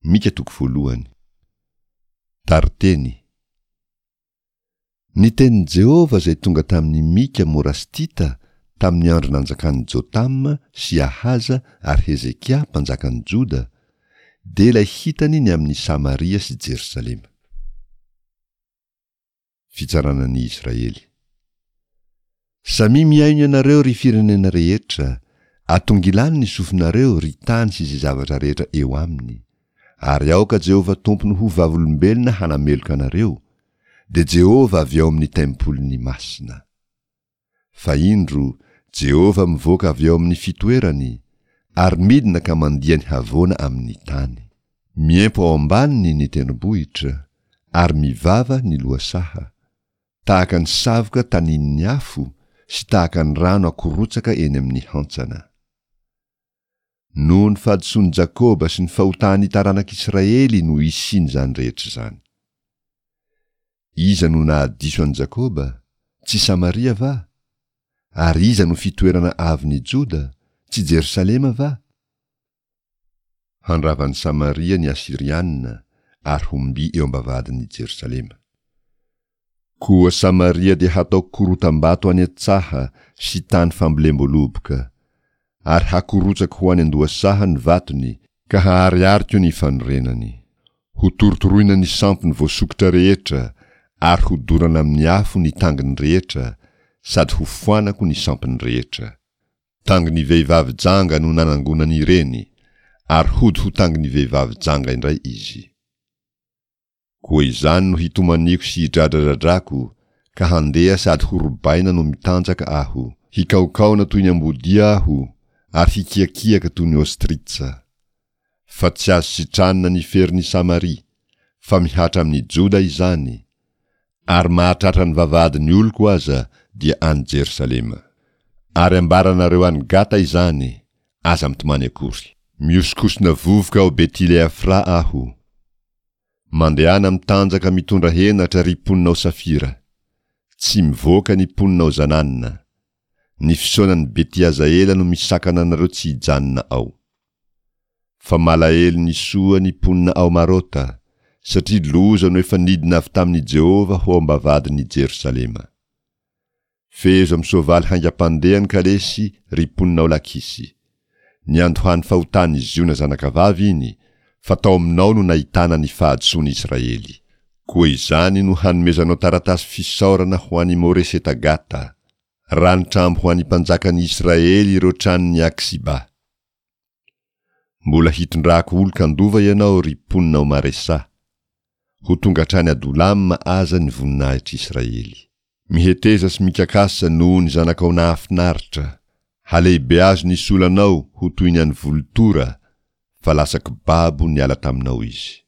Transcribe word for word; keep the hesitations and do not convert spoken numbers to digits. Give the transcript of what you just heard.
Mika toko voalohany. Tariteny. Ny tenin'i Jehovah izay tonga tamin'i Mika Morastita tamin'ny andro nanjakan'i Jotama sy Ahaza ary Hezekia mpanjakan'i Joda, dia ilay hitany ny amin'i Samaria sy Jerosalema. Fitsarana ny Israely. Samia mihaino ianareo ry firenena rehetra, atongilano ny sofinareo ry tany sy izay zavatra rehetra eo aminy. Ary aoka Jehovah Tompony ho vavolombelona hanameloka anareo, dia Jehovah avy ao amin'ny tempoliny masina. Fa indro, Jehovah mivoaka avy ao amin'ny fitoerany, ary midina ka mandia ny havoana amin'ny tany. Miempo ao ambaniny ny tendrombohitra, ary mivava ny lohasaha, tahaka ny savoka tanin'ny afo sy tahaka ny rano akorotsaka eny amin'ny hantsana. Noho ny fahadisoan'i Jakoba sy ny fahotan'ny taranak'Israely no isian'izany rehetra izany. Iza no nahadiso an'i Jakoba? Tsy Samaria va? Ary iza no fitoerana avon'i Joda? Tsy Jerosalema va? Handrava an'i Samaria ny Asyriana ary ho mby eo am-bavahadin'i Jerosalema. Koa Samaria dia hatao korotam-bato any an-tsaha sy tany fambolem-boaloboka, ary hakorotsako ho any an-dohasaha ny vatony, ka haharihariko ny fanorenany. Hotorotoroina ny sampiny voasokitra rehetra, ary hodorana amin'ny afo ny tanginy rehetra, sady hofoanako ny sampiny rehetra. Tangin'ny vehivavy janga no nanangonany ireny, ary hody ho tangin'ny vehivavy janga indray izy. Koa izany no hitomaniako sy hidradradradrako, ka handeha sady horobaina no mitanjaka aho. Hikaokaona toy ny ambodia aho, ary hikiakiaka toy ny ostritsa. Fa tsy azo sitranina ny ferin'i Samaria, fa mihatra amin'i Joda izany, ary mahatratra ny vavahadin'ny oloko aza dia any Jerosalema. Ary ambaranareo any Gata izany, aza mitomany akory. Mihosokosona vovoka ao Betileafra aho. Mandehana mitanjaka mitondra henatra ry mponina ao Safira. Tsy mivoaka ny mponina ao Zanana. Ny fisaonan'i Betiazaela no misakana anareo tsy hijanona ao. Fa malahelo ny soa ny mponina ao Marota, satria loza no efa nidina avy tamin'i Jehovah ho ao am-bavahadin'i Jerosalema. Fehezo amin'ny soavaly haingam-pandeha ny kalesy, ry mponina ao Lakisy. Niandohan'ny fahotan'i Ziona zanakavavy iny, fa tao aminao no nahitana ny fahadisoan'i Israely. Koa izany no hanomezanao taratasy fisaorana ho an'i Moreseta-Gata, ranotrambo ho an'ny mpanjakan'i Israely ireo tranon'i Aksiba. Mbola hitondrako olon-kandova ianao, ry mponina ao Maresa. Ho tonga hatrany Adolama aza ny voninahitr'Israely. Miheteza sy mikakasa noho ny zanakao nahafinaritra. Halehibeazo ny solanao ho toy ny an'ny volotora, fa lasa kibabo niala taminao izy.